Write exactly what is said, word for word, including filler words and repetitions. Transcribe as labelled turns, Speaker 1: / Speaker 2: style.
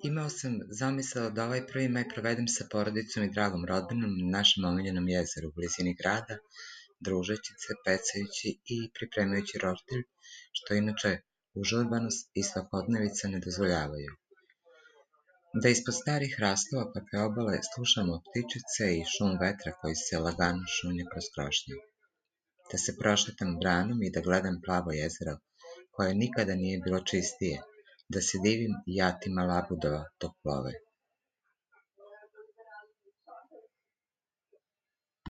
Speaker 1: Imao sam zamisao da ovaj prvi maj provedem sa porodicom i dragom rodbinom na našem omiljenom jezeru u blizini grada, družeći se, pecajući i pripremajući roštilj, što inače užurbanost i svakodnevica ne dozvoljavaju. Da ispod starih hrastova kakve obale slušamo ptičice i šum vetra koji se lagano šunja kroz krošnje. Da se prošetam branom i da gledam plavo jezero, koje nikada nije bilo čistije, da se divim jatima labudova dok plove.